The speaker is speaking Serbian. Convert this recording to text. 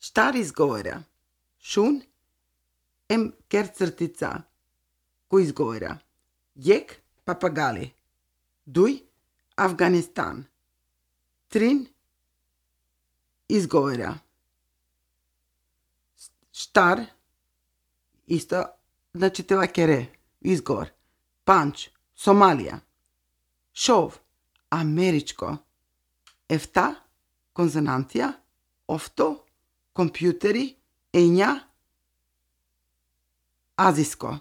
Штар изговора. Шун ем керцртица. Кој изговора? Јек папагали. Дуј Афганистан. Трин изговора. Штар исто значи това кере изговор. Панч Сомалија. Шов америчко. Ефта конзонантија. Офто компјутери. Ења азиско.